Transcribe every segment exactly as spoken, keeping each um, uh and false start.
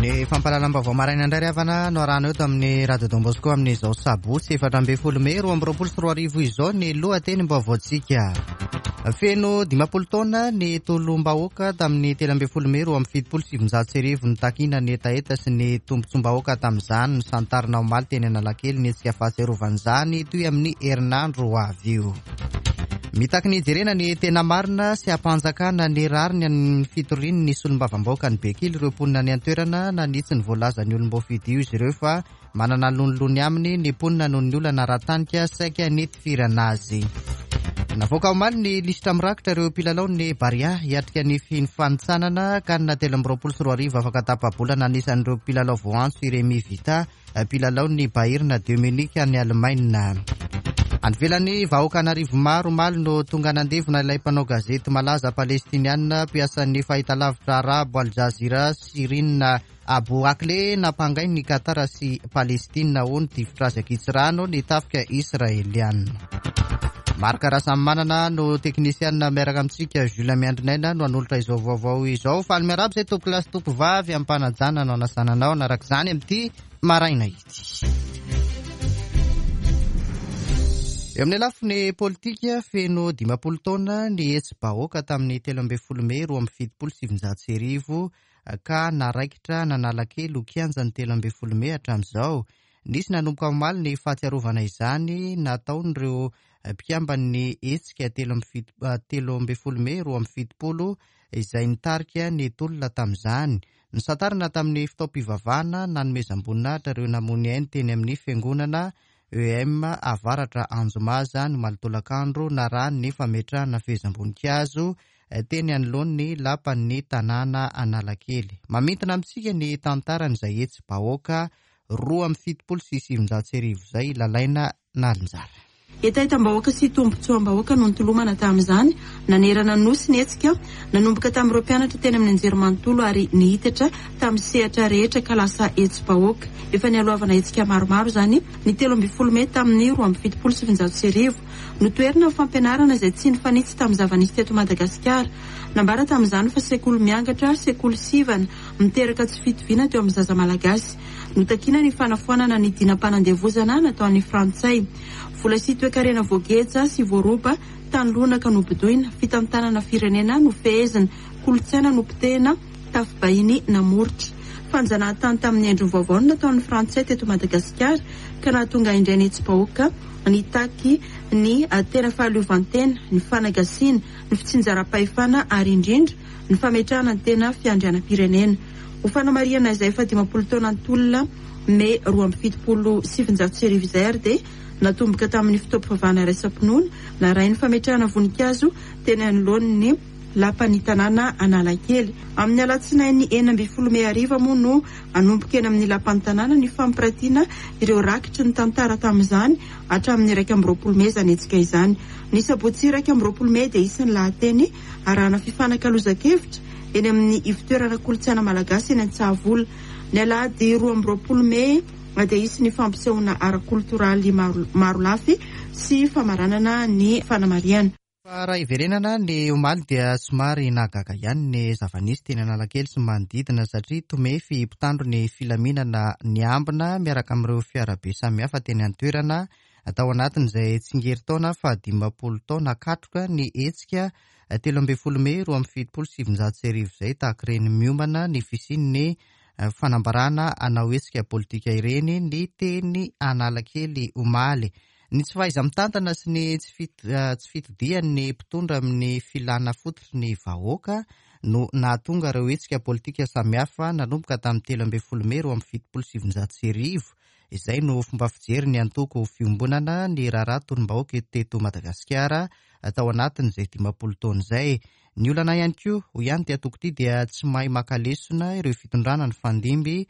Ny fampahalalam-baovao maraina indray ry havana no arahana eto amin'ny Radio Don Bosco amin'izao sabotsy efatra ambin'ny folo mey roa amby roapolo sy roa arivo izao ny lohatenim-baovaontsika. Feno dimampolo taona ny tolom-bahoaka tamin'ny telo ambin'ny folo mey roa amby fitopolo sy sivinjato sy arivo nitakiana ny hetaheta sy ny tombontsoam-bahoaka tamin'izany. Nisantarina omaly teny Analakely ny hetsika fahatsiarovan'izany toy amin'ny herinandro ho avy io. Mitaky ny hijerena ny tena marina sy hampanjakana ny rariny amin'ny fitorian'ny solombavambahoaka ny Bekily ireo mponina any an-toerana. Nanitsy ny voalazan'ny olom-boafidy io izy ireo fa manana lonilony aminy ny mponina noho ny olana ara-tanika saika nitifirana azy. Navoaka omaly ny lisitra mirakitra ireo mpilalao ny Barea hiatrika ny fifanintsanana CAN telo amby roapolo sy roa arivo afaka tapa-bolana. Anisan'ireo mpilalao voantso i Rémi Vita, mpilalao ny Bayern de Munich any Allemagne. Any ivelany, vahoaka an'arivo maro omaly no tonga nandevina ilay mpanao gazety malaza palestiniana mpiasan'ny fahitalavitra arabo Al Jazeera, Shireen Abu Akleh, nampangain'ny Qatar sy Palestina ho nitifitra azy ankitsirano ny tafika israeliana. Marc Rasamimanana no teknisiana miaraka amintsika, Jules Miandrinaina no hanolotra izao vaovao izao. Faly miarahaba izay tompoko lahy sy tompoko vavy ampanajana no anasananao anaraka izany amin'ity maraina ity. Eo amin'ny lafiny politika, feno dimampolo taona ny hetsi-bahoaka tamin'ny telo ambin'ny folo mey roa amby fitopolo sy sivinjato sy arivo ka naraikitra nanalakely ho kianja ny telo ambin'ny folo mey hatramin'izao. Nisy nanomboka omaly ny fahatsiarovana izany nataon'ireo mpikamban'ny hetsika telo amby fito, telo ambin'ny folo mey roa amby fitopolo izay nitarika ny tolona tamin'izany. Nisantarina tamin'ny fotoam-pivavahana nanomezam-boninahitra ireo namoy ainy teny amin'ny fiangonana E M Avaratra Anjomaza ny omaly tolakandro narahan'ny fametrahana fehezam-boninkazo teny anoloan'ny lapan'ny tanàna Analakely. Mamintina amintsika ny tantaran'izay hetsi-bahoaka roa amby fitopolo sy sivinjato sy arivo izay lalaina nalinjara. Hetahetam-bahoaka sy tombontsoam-bahoaka no nitolomana tamin'izany nanerana nosy ny hetsika nanomboka tamin'ireo mpianatra teny amin'ny anjerimanontolo ary nihitatra tamin'ny sehatra rehetra ka lasa hetsi-bahoaka. Efa nialohavana hetsika maromaro izany ny telo ambin'ny folo mey tamin'ny roa amby fitopolo sy sivinjato sy arivo. Notoherina ny fampianarana izay tsy nifanitsy tamin'ny zava-nisy teto Madagasikara. Nambara tamin'izany fa sekoly miangatra, sekoly sivana, miteraka tsy fitoviana teo amin'ny zaza malagasy. Notakina ny fanafoanana ny dinam-panandevozana nataon'ny frantsay. Vola sy toekarena voageja sy voaroba, tany lonaka nobodoina, fitantanana firenena nofehezina, kolontsaina nopotehina, tafibahiny namoritra. Fanjanahantany tamin'ny endriny vaovao no nataon'ny frantsay teto Madagasikara ka nahatonga indray ny hetsi-bahoaka nitaky ny tena fahaleovantena, ny fanagasiana, ny fitsinjaram-pahefana ary indrindra ny fametrahana ny tena fiandrianam-pirenena. Ho fanamarihana izay efa dimampolo taona ny tolona mey roa amby fitopolo sy sivinjato sy arivo izay ary dia natomboka tamin'ny fotoam-pivavahana iraisam-pinoana narahin'ny fametrahana voninkazo teny anoloan'ny lapan'ny tanàna Analakely. Amin'ny alatsinainy enina ambin'ny folo mey hariva moa no hanomboka eny amin'ny lapan'ny tanàna ny fampiratiana ireo rakitry ny tantara tamin'izany hatramin'ny iraika amby roapolo mey izany hetsika izany. Ny sabotsy iraika amby roapolo mey dia isan'ny lahateny arahana fifanakalozan-kevitra eny amin'ny ivotoerana kolontsaina malagasy eny Antsahavola. Ny alahady roa amby roapolo mey dia hisy ny fampisehoana ara-koltoraly maro, maro lafy sy famaranana ny fanamarihana. Fa raha hiverenana ny omaly dia somary nahagaga ihany ny zava-nisy teny Analakely sy manodidina satria tomefy mpitandro ny filaminana niambina miaraka amin'ireo fiarabe samihafa teny an-toerana tao anatin'izay tsingerin-taona fa dimampolo taona katroka ny hetsika telo ambin'ny folo mey roa amby fitopolo sy sivinjato sy arivo izay tahaka ireny miomana ny fisian'ny fanambarana hanao hetsika politika ireny ny teny Analakely omaly. Ny tsy fahaiza-mitantana sy ny tsy fit-, tsy fitodian'ny mpitondra amin'ny filana fototry ny vahoaka no nahatonga ireo hetsika politika samihafa nanomboka tamin'ny telo ambin'ny folo mey roa amby fitopolo sy sivinjato sy arivo. Izay no fomba fijery ny antoko fiombonana ny raharaha tolom-bahoaka teto Madagasikara tao anatin'izay dimampolo taona izay. Ny olana ihany koa, hoy ihany ity antoko ity, dia tsy mahay maka lesona ireo fitondrana ny fandimby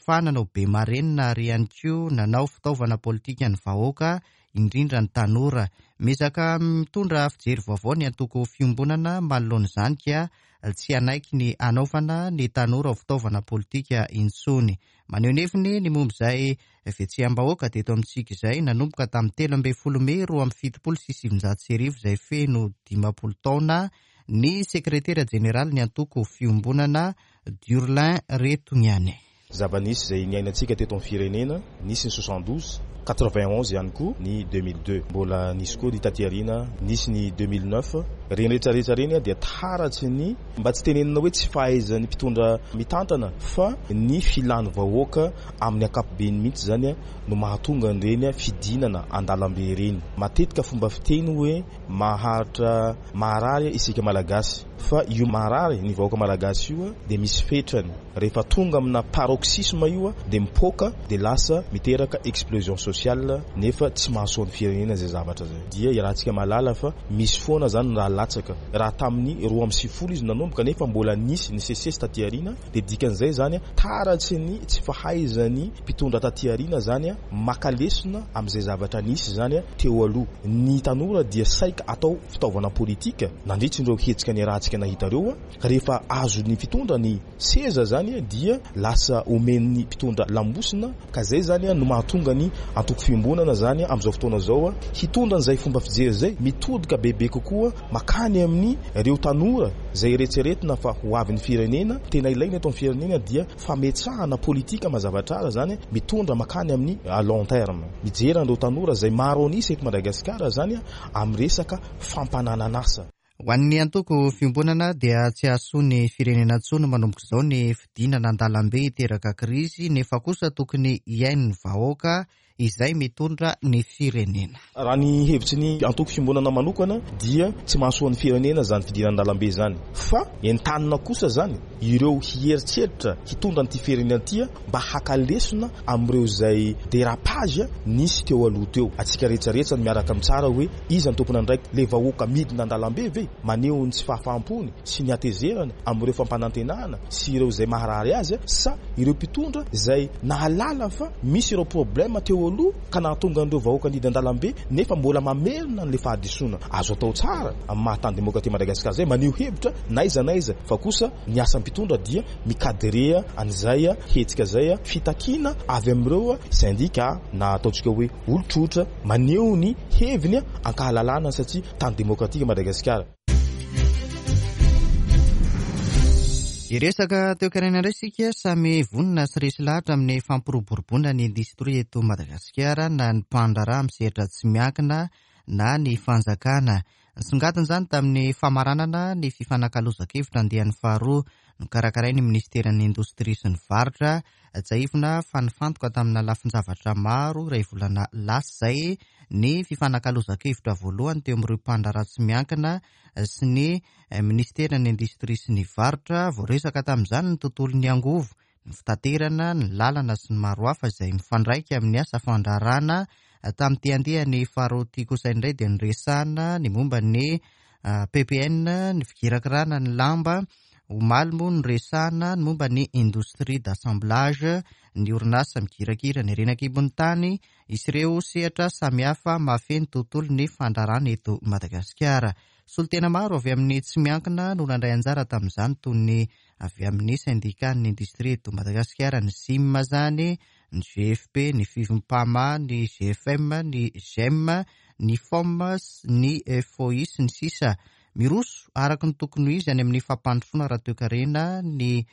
fa nanao be marenina ary ihany koa nanao fitaovana politika ny vahoaka, indrindra ny tanora. Miezaka mitondra fijery vaovao ny antoko fiombonana manoloana izany ka tsy hanaiky ny hanaovana ny tanora ho fitaovana politika intsony. Maneho ny heviny ny momba izay fihetseham-bahoaka teto amintsika izay nanomboka tamin'ny telo ambin'ny folo mey roa amby fitopolo sy sivinjato sy arivo izay feno dimampolo taona ny sekretera jeneraly ny antoko fiombonana Durlin Retogniane. Zava-nisy izay niainantsika teto amin'ny firenena, nisy ny soixante-douze, quatre-vingt-onze ihany koa ny deux mille deux, mbola nisy koa ny taty aoriana, nisy ny deux mille neuf. Ireny rehetrarehetra ireny dia taratsy ny, mba tsy tenenina hoe tsy fahaizan'ny mpitondra mitantana, fa ny filan'ny vahoaka amin'ny ankapobeny mihitsy zany no mahatonga an'ireny fidinana an-dalambe ireny. Matetika fomba fiteny hoe maharitra maharary isika Malagasy, fa io maharary ny vahoaka Malagasy io dia misy fetrany. Rehefa tonga amina paroxysme io dia mipoaka, dia lasa miteraka explosion sociale, nefa tsy mahasoa ny firenena izay zavatra izay. Dia iarahantsika mahalala fa misy foana zany raha latsaka. Raha tamin'ny roa amby sivifolo izy nanomboka, nefa mbola nisy ny sesesy taty aoriana, dia dikan'izay zany taratsy ny tsy fahaizan'ny mpitondra taty aoriana zany maka lesona amin'izay zavatra nisy zany teo aloha. Ny tanora dia saika atao fitaovana politika nandritra ireo hetsika niarahantsika nahita ireo. Rehefa azon'ny mpitondra ny seza zany dia lasa omen'ny mpitondra lambosina, ka zay zany no mahatonga ny antoko fiombonana zany amin'izao fotoana izao hitondra an'izay fomba fijery izay, mitodika bebe kokoa makany amin'ny ireo tanora izay eretreretina fa ho avin'ny firenena. Tena ilaina eto amin'ny firenena dia fametrahana politika mazava tsara zany mitondra makany amin'ny à long terme, mijery an'ireo tanora izay maro an'isa eto Madagasikara zany amin'ny resaka fampananan'asa. Ho an'ny antoko fiombonana dia tsy hahasoa ny firenena intsony manomboka izao ny fidinana an-dalambe hiteraka krizy, nefa kosa tokony hihaino ny vahoaka izay mitondra ny firenena. Raha ny hevitry ny antoko fiombonana manokana dia tsy mahasoa ny firenena zany fidinana an-dalambe zany, fa entanina kosa zany ireo hieritreritra hitondra an'ity firenena ity mba haka lesona amin'ireo izay dérapage nisy teo aloha teo. Antsika rehetrarehetra no miaraka mitsara hoe iza ny tompon'andraikitra, le vahoaka midina an-dalambe ve maneho ny tsy fahafahampony sy ny hatezerana amin'ireo fampanantenana sy ireo izay maharary azy, sa ireo mpitondra izay nahalala fa misy ireo problème teo aloha ka nahatonga an'ireo vahoaka nidina an-dalambe nefa mbola mamerina an'ilay fahadisoana. Azo atao tsara amin'ny maha tany demokratika Madagasikara izay maneho hevitra na aiza na aiza, fa kosa ny asan'ny mpitondra dia mikadrea an'izay hetsika izay fitakiana avy amin'ireo syndicat na ataontsika hoe olon-tsotra maneho ny heviny ankahalalana, satria tany demokratika Madagasikara. Hiresaka toekarena indray isika. Samy vonona sy resy lahatra amin'ny fampiroboroboana ny indostria eto Madagasikara na ny mpandraharaha amin'ny sehatra tsy miankina na ny fanjakana. Nisongadina izany tamin'ny famaranana ny fifanakalozan-kevitra andiany faharoa nokarakarain'ny ministeran'ny indostria sy ny varotra. Tsiahivina fa nifantoka tamina lafin-javatra maro iray volana lasa izay ny fifanakalozan-kevitra voalohany teo amin'ireo mpandraharaha tsy miankina sy ny ministeran'ny indostria sy ny varotra. Voaresaka tamin'izany ny tontolon'ny angovo, ny fitaterana, ny lalana sy ny maro hafa izay mifandraika amin'ny asa fandraharahana. Tamin'ity andiany faharoa ity kosa indray dia niresahana ny momba ny P P N, ny fikirakirana ny lamba. Omaly moa niresahana ny momba ny indostria d'assemblage, ny orinasa mikirakira ny harena an-kibon'ny tany, isy ireo sehatra samihafa mahafehy ny tontolon'ny fandraharahana eto Madagasikara. Solontena maro avy amin'ny tsy miankina no nandray anjara tamin'izany, toy ny avy amin'ny syndicat-n'ny indostria eto Madagasikara, ny S I M zany, ny G F P, ny Fivimpama, ny G F M, ny G E M, ny F O M, ny F O I sy ny sisa. Miroso araka ny tokony ho izy any amin'ny fampandrosoana ara-toekarena ny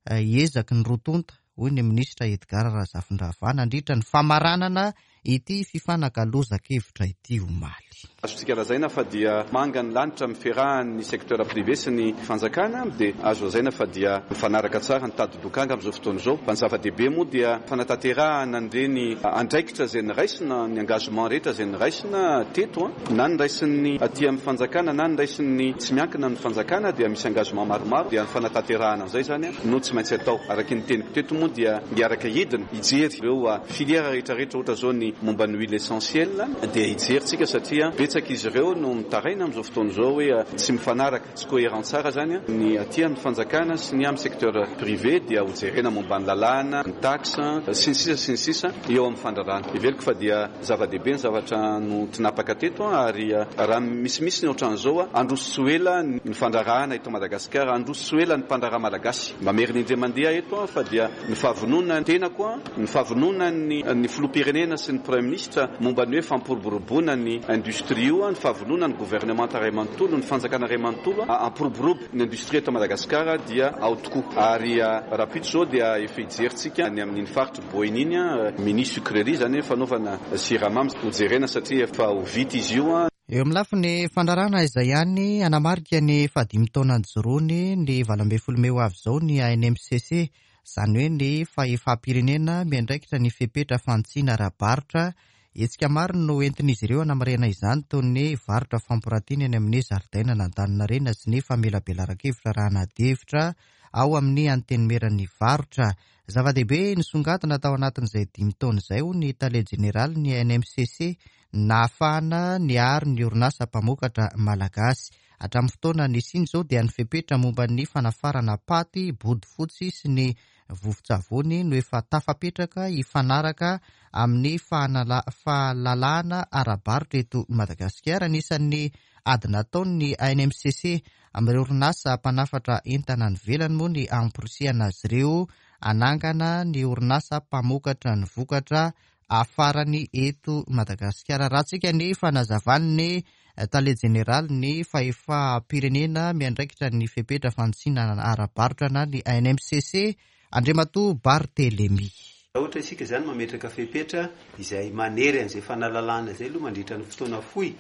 ezaky ny roa tonta, hoy ny minisitra Edgar Razafindravahy nandritra ny famaranana ity fifanakalozan-kevitra ity omaly. Azontsika lazaina fa dia manga ny lanitra amin'ny fiarahan'ny secteur privé sy ny fanjakana, dia azo lazaina fa dia mifanaraka tsara ny tady dokanga amin'izao fotoana izao. Fa ny zava-dehibe moa dia fanatanterahana an'ireny andraikitra izay niraisina, ny engagement rehetra izay niraisina teto, na niraisin'ny aty amin'ny fanjakana na niraisin'ny tsy miankina amin'ny fanjakana, dia misy engagement maromaro, dia ny fanatanterahana an'izay zany no tsy maintsy atao. Araka ny teniko teto moa dia hiaraka hidina hijery ireo filière rehetrarehetra, ohatra izao ny momba ny huile essentielle dia hijery tsika satria betsaka izy ireo no mitaraina amin'izao fotoana izao hoe tsy mifanaraka, tsy cohérent tsara zany ny aty amin'ny fanjakana sy ny amin'ny secteur privé, dia hojerena momba ny lalàna, ny taxe sy ny sisa sy ny sisa eo amin'ny fandraharahana. Heveriko fa dia zava-dehibe ny zavatra no tinapaka teto, ary raha misimisy ny ohatran'izao, handroso tsy ho ela ny fandraharahana eto Madagasikara, handroso tsy ho ela ny mpandraharaha malagasy. Mamerina indray mandeha eto fa dia ny fahavonona tenako, ny fahavonona ny, ny filoham-pirenena sy ny ny Praiminisitra momba ny hoe fampiroboroboana ny industrie io, ny fahavonona ny gouvernemanta iray manontolo, ny fanjakana iray manontolo hampiroborobo ny industrie eto Madagasikara dia ao tokoa. Ary rahampitso izao dia efa hijerintsika ny amin'iny faritra Boeny iny, mini sucrerie izany hoe fanaovana siramamy hojerena satria efa ho vita izy io. Eo amin'ny lafiny fandrarana izay ihany, hanamarika ny fahadimy taona nijoroany ny valo ambin'ny folo mey ho avy izao ny A N M C C, izany hoe ny fahefam-pirenena miandraikitra ny fepetra fantsina ara-barotra. Hetsika maro no entin'izy ireo hanamarihana izany, toy ny varotra fampirantiana eny amin'ny zaridaina Antaninarenina sy ny famelabelaran-kevitra raha anadihevitra ao amin'ny antenimieran'ny varotra. Zava-dehibe nisongadina tao anatin'izay dimy taona izay ho ny tale jeneraly ny A N M C C nahafahana niaro ny orinasa mpamokatra malagasy. Hatramin'ny fotoana nisiany izao dia ny fepetra momba ny fanafarana paty, bodofotsy sy ny vovon-tsavony no efa tafapetraka hifanaraka amin'ny fahanala-, fahalalahana ara-barotra eto Madagasikara. Anisan'ny ady nataon'ny A N M C C amin'ireo orinasa mpanafatra entana any ivelany moa ny hamporisihana azy ireo hanangana ny orinasa mpamokatra ny vokatra afarany eto Madagasikara. Raha tsika ny fanazavan'ny tale jeneraly ny fahefam-pirenena miandraikitra ny fepetra fantsina ara-barotra na ny A N M C C, Andriamatoa Barthelemy. Raha ohatra isika izany mametraka fepetra izay manery an'izay fanalalana izay aloha mandritra ny fotoana fohy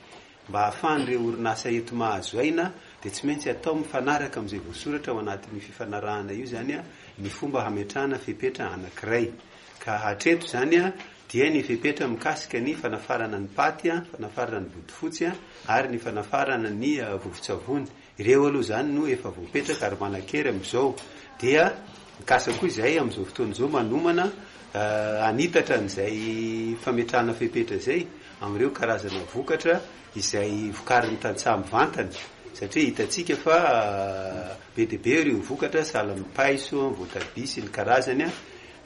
mba hahafahan'ireo orinasa eto mahazo aina, dia tsy maintsy atao mifanaraka amin'izay voasoratra ao anatin'ny fifanarahana io izany a, ny fomba hametrahana fepetra anankiray. Ka hatreto izany a, dia ny fepetra mikasika ny fanafarana ny paty a, fanafarana ny bodofotsy a, ary ny fanafarana ny, eh, vovon-tsavony. Ireo aloha izany no efa voapetraka ary manan-kery amin'izao. Dia mikasa koa izay amin'izao fotoana izao manomana, eh, hanitatra an'izay fametrahana fepetra izay amin'ireo karazana vokatra izay vokarin'ny tantsaha mivantana, satria hitantsika fa, eh, be dia be ireo vokatra sahala amin'ny paiso, voatabia sy ny karazany a.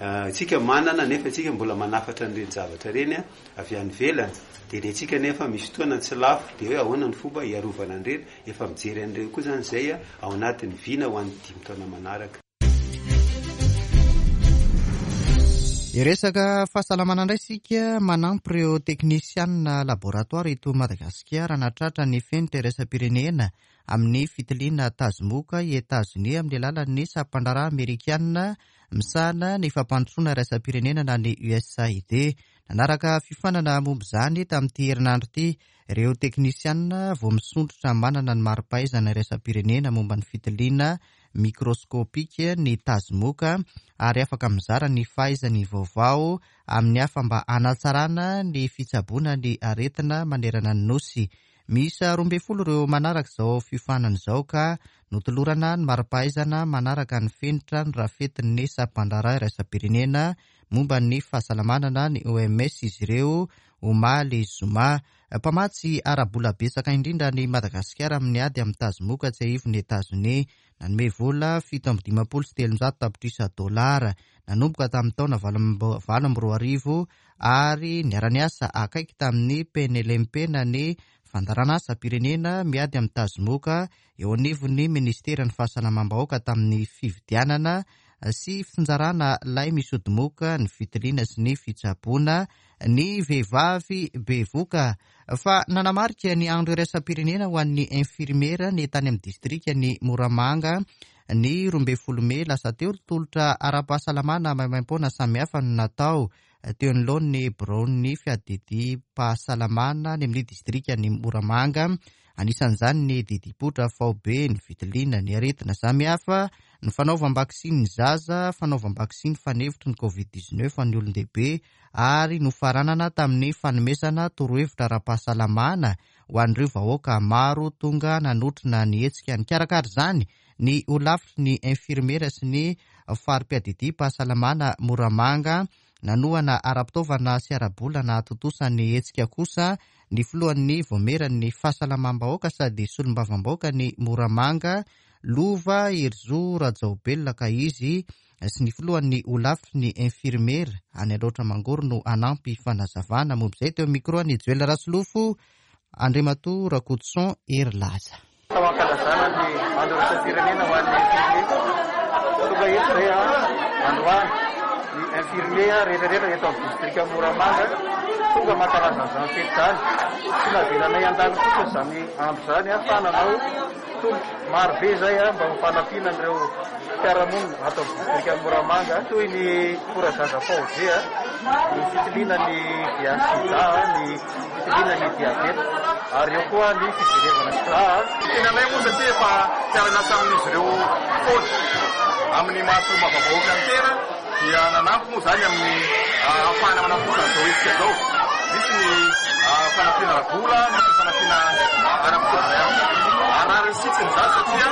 Eh, isika manana nefa isika mbola manafatra an'ireny zavatra ireny a, avy any ivelany. Dia ny antsika nefa misy fotoana tsy lafo, dia hoe ahoana ny fomba hiarovana an'ireny, efa mijery an'ireny koa izany izay a, ao anatin'ny vina ho an'ny dimy taona manaraka. Hiresaka fahasalamana indray isika, manampy ireo teknisianina laboratoara eto Madagasikara nahatratra ny fenitra iraisam-pirenena amin'ny fitiliana tazomoka i Etazonia amin'ny alalan'ny sampandraharaha amerikanina misahana ny fampandrosoana iraisam-pirenena na ny U S A I D. Nanaraka fiofanana momba izany tamin'ity herinandro ity ireo teknisianina vao misondrotra manana ny mari-pahaizana iraisam-pirenena momba ny fitiliana mikroskopika ny tazomoka ary afaka mizara ny fahaizany vaovao amin'ny hafa mba hanatsarana ny fitsaboana ny aretina manerana ny nosy. Miisa roa ambin'ny folo ireo manaraka izao fiofanana izao ka notolorana ny mari-pahaizana manaraka ny fenitra ny rafetin'ny sampandraharaha iraisam-pirenena momba ny fahasalamana na ny O M S izy ireo omaly zoma. Mpamatsy ara-bola betsaka indrindra ny Madagasikara amin'ny ady amin'ny tazomoka tsiahivon'ny Etazonia. Nanome vola fito amby dimampolo sy telonjato tapitrisa dolara nanomboka tamin'ny taona valo amby, valo amby roa arivo ary niara-niasa akaiky tamin'ny P N L M P na ny fandaharanasam-pirenena miady amin'ny tazomoka eo anivon'ny ministeran'ny fahasalamam-bahoaka tamin'ny fividianana sy fitsinjarana lay misy odimoka, ny fitiliana sy ny fitsaboana ny vehivavy bevoka. Fa nanamarika ny andro iraisam-pirenena ho an'ny infirmiera ny tany amin'ny distrika ny Moramanga ny roa ambin'ny folo mey lasa teo. Tolotra ara-pahasalamana maimaimpoana samihafa no natao teo anoloan'ny biraon'ny fiadidim-pahasalamana any amin'ny distrika ny Moramanga. Anisan'izany ny didipoitra faobe, ny fitiliana ny aretina samihafa, ny fanaovam-baksiny ny zaza, fanaovam-baksiny fanefitry ny covid dix-neuf ny olon-dehibe ary nofaranana tamin'ny fanomezana torohevitra ara-pahasalamana ho an'ireo vahoaka maro tonga nanotrona ny hetsika. Nikarakara izany ny holafitry ny infirmiera sy ny fari-piadidim-pahasalamana Moramanga. Nanohana ara-pitaovana sy ara-bola nahatontosa ny hetsika kosa ny filohan'ny vaomieran'ny fahasalamam-bahoaka sady solombavambahoaka ny Moramanga, Lova Herizo Rajaobelina, ka izy sy ny filohan'ny holafitry ny infirmiera any Alaotra Mangoro no hanampy fanazavana momba izay. Teo amin'ny micro an'i Joel Rasolofo, Andriamatoa Rakotoson Herilaza. Tao ankalazana ny andro iraisam-pirenena ho an'ny infirmiera. Tonga eto izay a, androany ny infirmier rehetrarehetra eto amin'ny distrika Moramanga tonga mankalaza an'izany fety izany. Tsy navelanay handalo fotsiny izany andro izany fa nanao tolotra marobe izay mba ho fanampiana an'ireo mpiara-monina ato amin'ny distrika Moramanga, toy ny forazaza faobe, ny fitiliana ny V I H sida, ny fitiliana ny diabeta, ary eo koa ny fijerevana rà. Tenanay moa satria efa mpiara-miasa amin'izy ireo foana amin'ny maha solombavambahoaka ny tena, dia nanampy moa izany amin'ny ahafahana manatontosa an'izao hetsika izao. Misy ny fanampiana ara-bola, misy ny fanampiana ara-pitaovana ihany koa. Ary raha sitsiny izany satria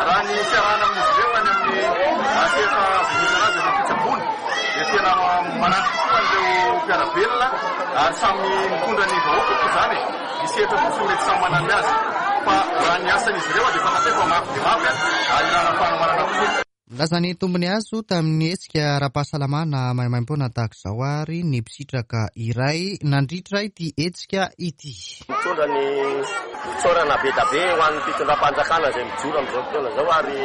raha ny fiarahana amin'izy ireo any amin'ny sehatra voalohany azy amin'ny fitsaboana dia tena manampy tokoa an'ireo mpiara-belona ary samy mitondra ny vahoaka koa izany. Ny sehatra fotsiny mety samy manana azy, fa raha ny asan'izy ireo dia fantatray fa mafy dia mafy ary ilana fanomanana tokoa. Milaza ny tombony azo tamin'ny hetsika ara-pahasalamana maimaimpoana tahaka izao ary ny mpisitraka iray nandritra ity hetsika ity. Mitondra ny fisaorana be dia be ho an'ny fitondram-panjakana izay mijoro amin'izao fotoana izao, ary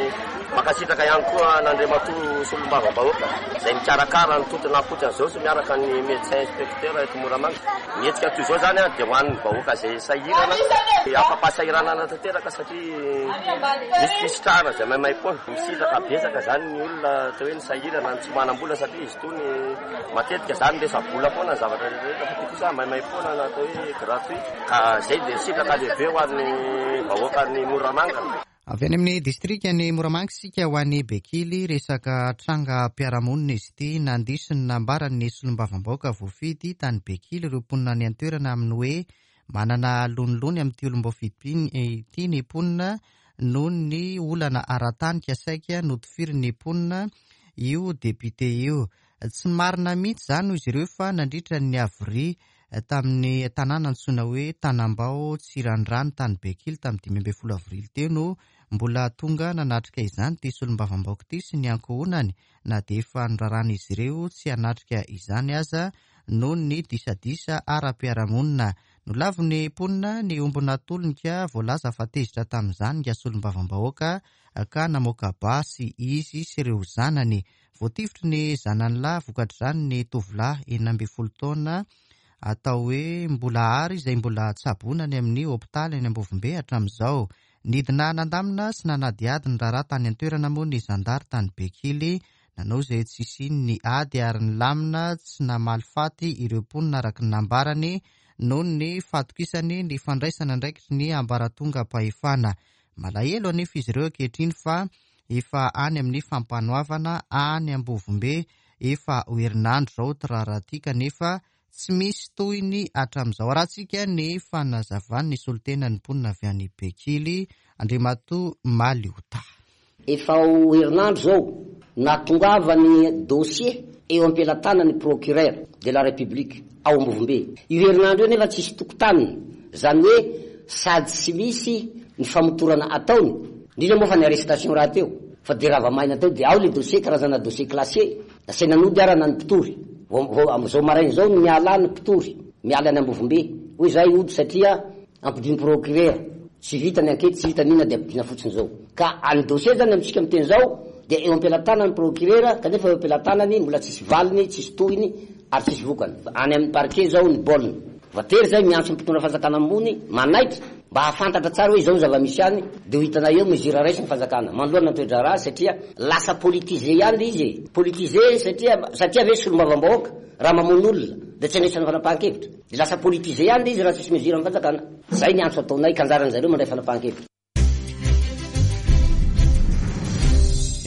mankasitraka ihany koa an'Andriamatoa solombavambahoaka izay mikarakara ny tontolo ankoatran'izao sy miaraka ny médecin inspecteur eto Moramanga. Ny hetsika toy izao izany dia ho an'ny vahoaka izay sahirana, afa-pahasahiranana tanteraka satria misy fisitrahana izay maimaimpoana. Misitraka betsaka izany ny olona atao hoe ny sahirana, ny tsy manam-bola, satria izy itony matetika izany resa-bola foana ny zavatra rehetra, fa ity kosa maimaimpoana na atao hoe gratuit, ka izay dia sitraka lehibe ho an'ny vahoakan'ny Moramanga. Avy any amin'ny distrika ny Moramanga isika ho an'ny Bekily, resaka tranga mpiara-monina izy ity. Nandiso ny nambaran'ny solombavambahoaka voafidy tany Bekily ireo mponina any an-toerana amin'ny hoe manana lonilony amin'ity olom-boafidy ity ny mponina noho ny olana ara-tanika saika notifirin'ny mponina io député io. Tsy marina mihitsy izany hoy izy ireo fa nandritra ny havoria tamin'ny tanàna antsoina hoe Tanambao Tsirandrano tany Bekily tamin'ny dimy ambin'ny folo avrily teo no mbola tonga nanatrika izany ity solombavambahoaka ity sy ny ankohonany, na dia efa noraran'izy ireo tsy hanatrika izany aza noho ny disadisa ara-piarahamonina. Nolavin'ny mponina ny omby natolony ka voalaza fa tezitra tamin'izany ny solombavambahoaka ka namoaka basy izy sy ireo zanany. Voatifitry ny zanany lahy vokatr'izany ny tovolahy enina ambin'ny folo taona atao hoe Mbola Ary izay mbola tsaboina any amin'ny hopitaly any Ambovombe hatramin'izao. Nidina nandamina sy nanadihady ny raharaha tany an-toerana moa ny zandary tany Bekily, nanao izay tsy hisian'ny ady ary nilamina tsy namaly faty ireo mponina araka ny nambarany noho ny fahatokisany ny fandraisana andraikitry ny ambaratongam-pahefana. Malahelo anefa izy ireo ankehitriny fa efa any amin'ny fampanoavana any Ambovombe efa ho herinandro izao ty raharaha ity, kanefa tsy misy tohiny hatramin'izao. Arahantsika ny fanazavan'ny solontenan'ny mponina avy any Bekily, Andriamatoa Maliota. Efa ho herinandro izao nahatongavany dossier eo am-pelatanan'ny procureur de la République ao Ambovombe. Io herinandro io nefa tsisy tokotaniny, izany hoe sady tsy misy ny famotorana ataony, indrindra moa fa ny arrestation raha teo, fa de raha maina teo de ao le dossier, karazana dossier classé, nasaina nody arana ny mpitory. Vao amin'izao maraina izao no miala ny mpitory, miala any Ambovombe. Hoy izahay hody satria ampidin'ny procureur, tsy vita ny enquête, tsy vita n'inona de ampidina fotsiny izao. Ka any dossier zany amintsika miteny izao dia eo am-pelatanan'ny procureur, kanefa eo am-pelatanany mbola tsisy valiny, tsisy tohiny ary tsisy vokany. Any amin'ny parquet izao ny baolina. Voatery izay miantso ny mpitondra fanjakana ambony manaiky mba hahafantatra tsara hoe izao ny zava-misy any, dia ho hitanay eo mesure raisiny fanjakana manoloana ny toe-draharaha, satria lasa politisé ihany izy e. Politisé satria, satria ve solombavambahoaka raha mamono olona dia tsy andraisana fanapahan-kevitra, dia lasa politisé ihany izy raha tsisy mesure amin'ny fanjakana. Izay ny antso ataonay, ka anjaran'ny zareo mandray fanapahan-kevitra.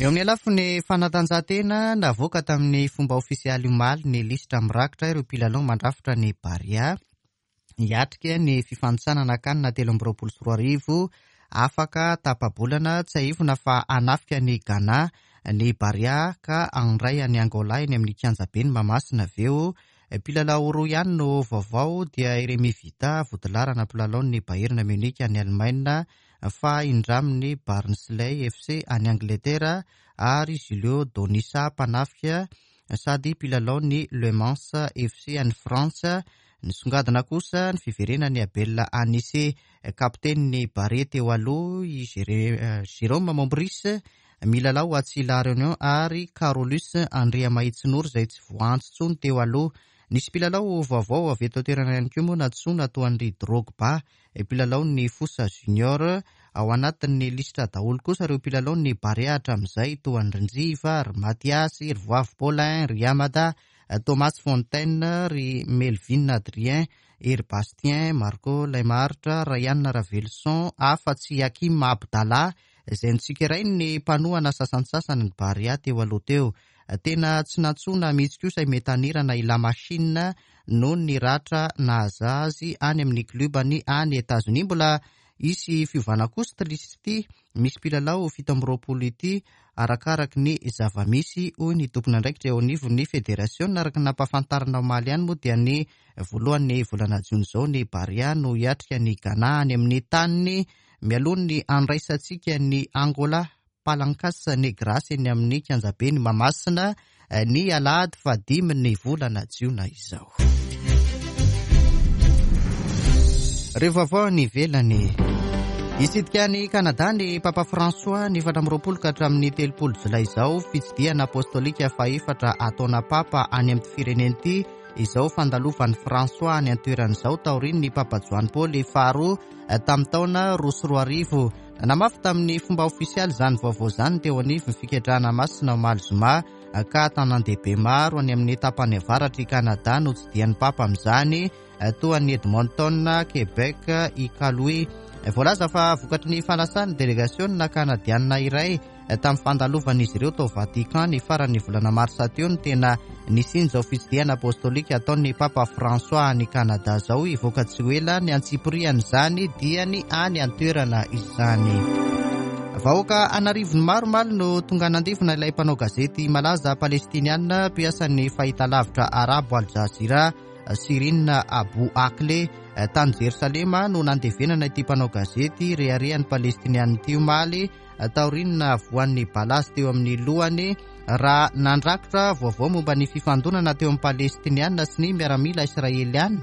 Eo amin'ny lafiny fanatanjahantena, navoaka tamin'ny fomba ofisialy omaly ny lisitra mirakitra ireo mpilalao mandrafitra ny Barea hiatrika ny fifanintsanana CAN telo amby roapolo sy roa arivo afaka tapa-bolana. Tsiahivina fa hanafika ny Ghana ny Barea ka handray any Angola eny amin'ny kianjaben'i Mahamasina avy eo. Mpilalao roa ihany no vaovao, dia i Rémy Vita, vodilaharana mpilalaon'ny Bayern Munich any Allemagne, fa indramin'ny Barnsley F C any Angleterre, ary Julio Donisa mpanafika sady mpilalaon'ny Le Mans F C any Frantsa. Nisongadina kosa ny fiverenan'i Abel Anissé, kapitenin'ny Barea teo aloha, i Jérôme Mombris, milalao atsy La Réunion ary Carolus Andriamahitsinoro izay tsy voantso intsony teo aloha. Nisy mpilalao vaovao avy eto an-toerana ihany koa moa nantsoina toa an-dry Drogba, mpilalao ny Fosa Junior. Ao anatin'ny lisitra daholo kosa ireo mpilalao ny Barea hatramin'izay toa an-dry Njiva, ry Mathias, ry Voavy Paulin, ry Amada, Thomas Fontaine, ry Melvin Adrien, Hery Bastien, Marco Laimaritra, Ryan Ravelson, afa-tsy Hakim Abdallah izay notsikerain'ny mpanohana sasantsasany ny Barea teo aloha teo. Tena tsy nantsoina mihitsy kosa i Metanirana i La Machine noho ny ratra nahaza azy any amin'ny klubany any Etazonia. Mbola hisy fiovana kosa ity lisitra ity, misy mpilalao fito amby roapolo ity arakaraky ny zava-misy, hoy ny tompon'andraikitra eo anivon'ny federasiona. Araka ny nampahafantarina omaly ihany moa dia ny voalohan'ny volana jona izao ny Barea no hiatrika ny Ghana any amin'ny taniny mialoha ny andraisantsika ny Angola Palancas Negras eny amin'ny kianjaben'i Mahamasina ny alahady fahadimy ny volana jiona izao. Ireo vaovao any ivelany. Hitsidika any Kanada ny Papa François ny efatra amby roapolo ka hatramin'ny telopolo jolay izao, fitsidihana apostolika fahefatra ataona Papa any amin'ny firenena ity. Izao fandalovan'i François any an-toerana izao taorian'ny Papa Joany Paoly faharoa tamin'ny taona roa sy roa arivo. Nanamafy tamin'ny fomba ofisialy izany vaovao izany teo anivon'ny fiketrahana masina omaly zoma ka tanàn-dehibe maro any amin'ny tapany avaratr'i Kanada no tsidihan'ny Papa amin'izany, toa an'i Edmonton, Québec, Iqaluit. Voalaza fa vokatry ny fanasan'ny delegasiona kanadianina iray tamin'ny fandalovan'izy ireo tao Vatican ny faran'ny volana marsa teo no tena nisian'izao fitsidihana apostolika ataon'ny Papa François any Kanada izao. Hivoaka tsy ho ela ny antsipirian'izany dia ny any an-toerana izany. Vahoaka an'arivony maro omaly no tonga nandevina ilay mpanao gazety malaza palestiniana mpiasan'ny fahitalavitra arabo Al Jazeera, Shirin Abu Akleh. Tany Jerosalema no nandevenana ity mpanao gazety reharehan'ny palestiniana ity omaly taorian'ny voan'ny balazy teo amin'ny lohany raha nandrakitra vaovao momba ny fifandonana teo amin'ny palestiniana sy ny miaramila israeliana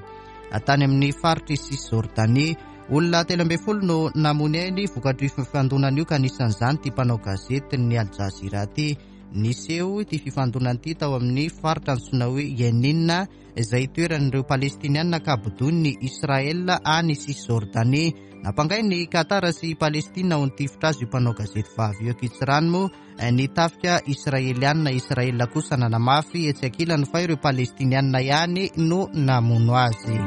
tany amin'ny faritry Cisjordanie. Olona telo ambin'ny folo no namony ainy vokatry io fifandonana io ka anisan'izany ity mpanao gazety ny Al Jazeera ity. Niseho ity fifandonana ity tao amin'ny faritra antsoina hoe Yenin izay toeran'ireo palestiniana ka bodoin'ny Israel any Cisjordanie. Nampangain'ny Qatar sy Palestina ho nitifitra azy io mpanao gazety vavy io ankitsirano moa ny tafika israeliana. Israel kosa nanamafy etsy ankilany fa ireo palestiniana ihany no namono azy.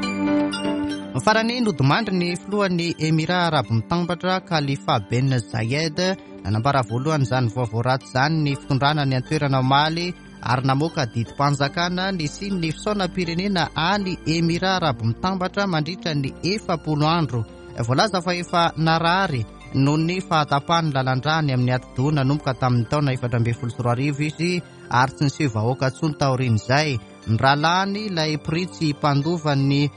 Farany, nodimandry ny filohan'ny Emirats Arabo Mitambatra Khalifa Ben Zayed. Nanambara voalohany izany vaovao ratsy izany ny fitondrana ny an-toerana omaly ary namoaka didim-panjakana nisian'ny fisaonam-pirenena any Emirats Arabo Mitambatra mandritra ny efapolo andro. Voalaza fa efa narary noho ny fahatapahan'ny lalan-drany amin'ny atidoha nanomboka tamin'ny taona efatra ambin'ny folo sy roa arivo izy ary tsy niseho vahoaka intsony taorian'izay. Ny rahalahiny ilay printsy mpandova ny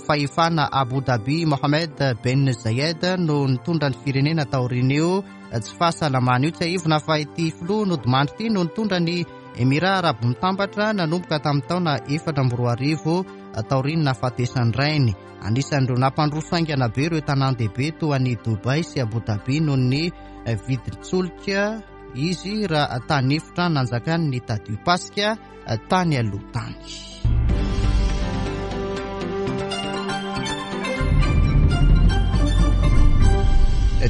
fahefana Abu Dhabi Mohammed Ben Zayed no nitondra ny firenena taorian'io tsy fahasalamana io. Tsiahivina fa ity filoha nodimandry ity no nitondra ny Emirats Arabo Mitambatra nanomboka tamin'ny taona efatra amby roa arivo taorian'ny nahafatesan'ny rainy. Anisan'ireo nampandroso haingana be ireo tanàn-dehibe toa an'i Dubai sy Abu Dhabi noho ny vidin-tsolika izy raha tany efitra nanjakany ny tadio pasika tany aloha tany.